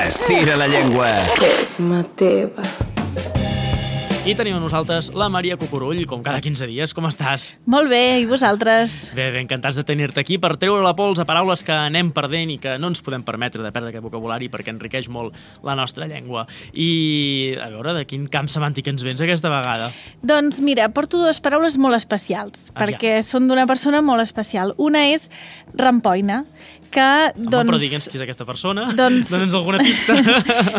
Estira la llengua. És Mateva. I tenim a nosaltres la Maria Cucurull, com cada 15 dies. Com estàs? Molt bé, i vosaltres? Bé, encantats de tenir-te aquí per treure la pols a paraules que anem perdent i que no ens podem permetre de perdre aquest vocabulari perquè enriqueix molt la nostra llengua. I a veure, de quin camp semàntic ens vens aquesta vegada? Doncs mira, porto dues paraules molt especials, perquè són d'una persona molt especial. Una és rampoina, que, Home, però digue'ns qui és aquesta persona, Dona'ns alguna pista.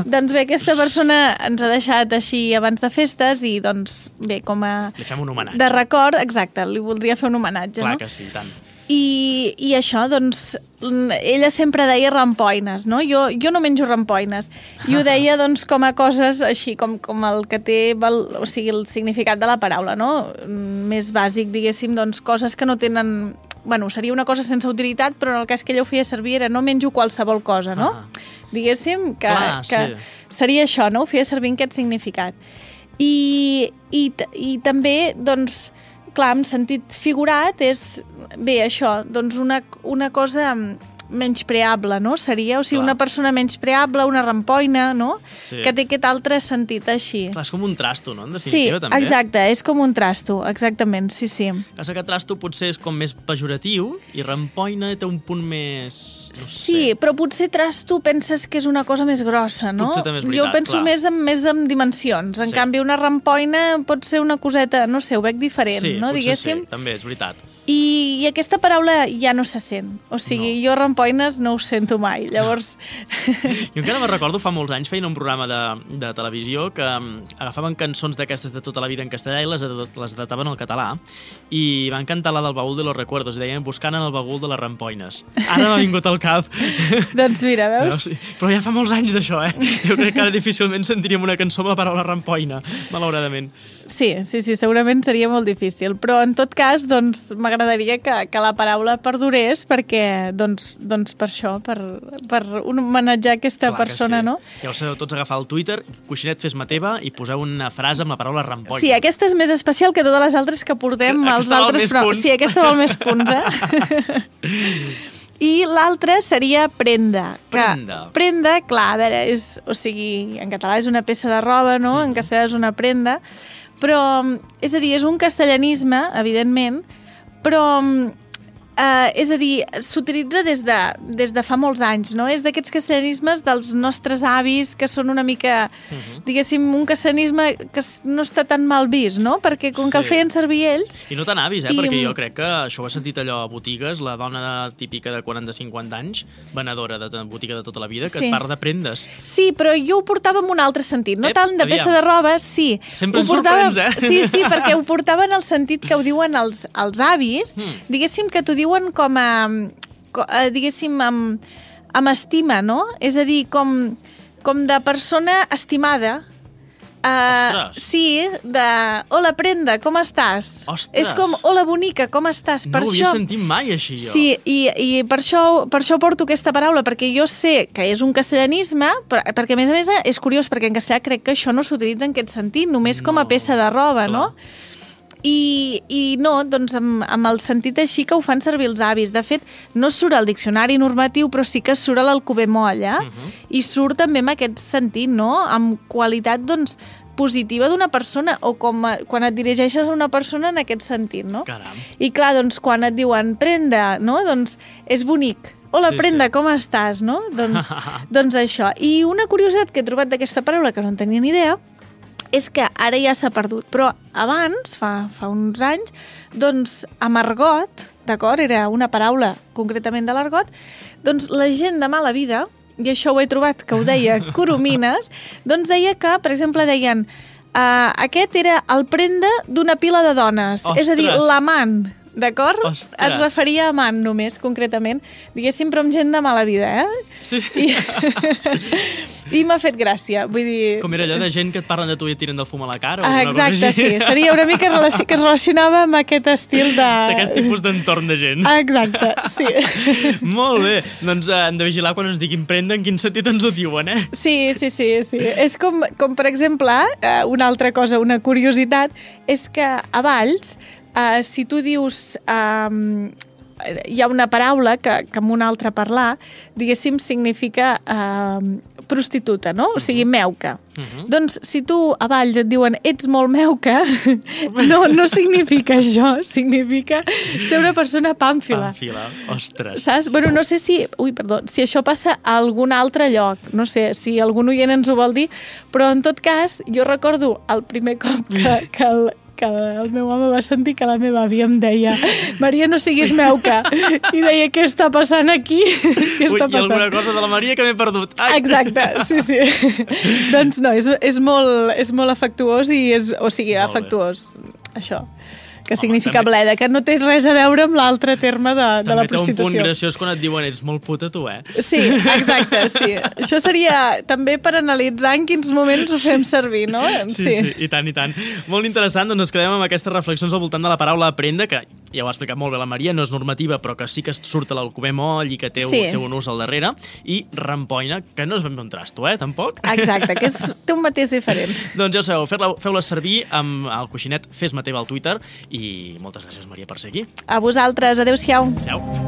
Doncs bé, aquesta persona ens ha deixat així abans de festes i doncs bé, com a... Li fem un homenatge. De record, exacte, li voldria fer un homenatge, Clar no? que sí, tant. I això, doncs, ella sempre deia rampoines, no? Jo no menjo rampoines. I ho deia, doncs, com a coses així, com el que té, o sigui, el significat de la paraula, no? Més bàsic, diguéssim, doncs, coses que no tenen... Bueno, seria una cosa sense utilitat, però en el cas que ella ho feia servir era no menjo qualsevol cosa, no? Diguéssim que seria això, no? Ho feia servir en aquest significat. I també, doncs, clar, en sentit figurat és, bé, això, doncs una cosa menyspreable, no? Seria, o sigui, una persona menyspreable, una rampoina, no? Sí. Que té aquest altre sentit així. Clar, és com un trasto, no? En definitiva, sí, també. exacte, és com un trasto, exactament, sí. Passa que trasto potser és com més pejoratiu i rampoina té un punt més... No sí, sé. però potser trasto penses que és una cosa més grossa, no? Potser també és veritat, jo penso més en dimensions. En canvi, una rampoina pot ser una coseta, no sé, ho veig diferent, no? Sí, diguéssim. Sí, també és veritat. I aquesta paraula ja no se sent. O sigui, jo rampoines no ho sento mai. Llavors... Jo encara me'n recordo, fa molts anys feien un programa de televisió que agafaven cançons d'aquestes de tota la vida en castellà i les adaptaven al català i van cantar la del baúl de los recuerdos i deien buscant en el baúl de les rampoines. Ara m'ha vingut al cap. Doncs mira, veus? No, sí. Però ja fa molts anys d'això, Jo crec que ara difícilment sentiríem una cançó amb la paraula rampoina, malauradament. Sí, segurament seria molt difícil. Però en tot cas, doncs, m'agradaria que la paraula perdurés perquè, doncs per això, per homenatjar aquesta persona, no? Ja ho sabeu tots, agafar el Twitter, coixinet fes Mateva i poseu una frase amb la paraula rampoina. Sí, aquesta és més especial que totes les altres que portem als altres, però sí, aquesta val més punts, I l'altra seria prenda. Prenda, clar, a veure, o sigui, en català és una peça de roba, no? En castellà és una prenda, però, és a dir, és un castellanisme, evidentment, però, és a dir, s'utilitza des de fa molts anys, no? És d'aquests castellanismes dels nostres avis que són una mica, diguéssim, un castellanisme que no està tan mal vist, no? Perquè com que el feien servir ells... I no tan avis, perquè jo crec que això ho he sentit allò a botigues, la dona típica de 40-50 anys, venedora de botiga de tota la vida, que et parla de prendes. Sí, però jo ho portava en un altre sentit, no tant de peça de roba, sí. Sempre ens sorprens, Sí, perquè ho portava en el sentit que ho diuen els avis, diguéssim que t'ho diuen com a, diguéssim, amb estima, no? És a dir, com de persona estimada. Sí, de hola, prenda, com estàs? Ostres! És com hola, bonica, com estàs? No ho havia sentit mai, així, jo. Sí, i per això porto aquesta paraula, perquè jo sé que és un castellanisme, perquè a més és curiós, perquè en castellà crec que això no s'utilitza en aquest sentit, només com a peça de roba, no? I no, doncs amb el sentit així que ho fan servir els avis. De fet, no surt al diccionari normatiu, però sí que surt a l'Alcover Moll, i surt també amb aquest sentit, no? Amb qualitat, doncs, positiva d'una persona, o com quan et dirigeixes a una persona en aquest sentit, no? Caram. I clar, doncs, quan et diuen prenda, no? Doncs és bonic. Hola, prenda, com estàs, no? Doncs això. I una curiositat que he trobat d'aquesta paraula, que no en tenia ni idea, és que ara ja s'ha perdut, però abans, fa uns anys, doncs amb argot, d'acord, era una paraula concretament de l'argot, doncs la gent de mala vida, i això ho he trobat que ho deia Coromines, doncs deia que, per exemple, deien aquest era el prenda d'una pila de dones, és a dir, l'amant, d'acord? Es referia a amant només, concretament, diguéssim, però amb gent de mala vida, Sí. I m'ha fet gràcia, vull dir... Com era allò de gent que et parlen de tu i et tiren del fum a la cara? Exacte, sí. Seria una mica que es relacionava amb aquest estil de... D'aquest tipus d'entorn de gent. Exacte, sí. Molt bé. Doncs hem de vigilar quan ens diguin prenda en quin sentit ens ho diuen, Sí. És com per exemple, una altra cosa, una curiositat, és que a Valls, si tu dius hi ha una paraula que amb una altra parlar, diguéssim, significa prostituta, no? O sigui, meuca. Doncs si tu a Valls et diuen ets molt meuca, no significa això, significa ser una persona pàmfila. Pàmfila, ostres. Saps? Bueno, no sé si això passa a algun altre lloc, no sé si algun oient ens ho vol dir, però en tot cas jo recordo el primer cop que el meu home va sentir que la meva àvia em deia Maria, no siguis meuca. I deia, què està passant aquí? Hi ha alguna cosa de la Maria que m'he perdut. Ai. Exacte, sí. Doncs no, és molt afectuós i afectuós, això. Que significa bleda, que no té res a veure amb l'altre terme de la prostitució. També té un punt graciós quan et diuen ets molt puta tu, Sí, exacte, sí. Això seria també per analitzar en quins moments ho fem servir, no? Sí, i tant. Molt interessant, doncs ens quedem amb aquestes reflexions al voltant de la paraula aprendre, que ja ho ha explicat molt bé la Maria, no és normativa, però que sí que surt a l'alcover moll i que té un ús al darrere, i rampoina, que no és ben bé un trasto, tampoc? Exacte, que té un mateix diferent. Doncs ja ho sabeu, feu-la servir amb el coixinet Fes-me teva al Twitter i moltes gràcies, Maria, per ser aquí. A vosaltres, adéu-siau. Adéu.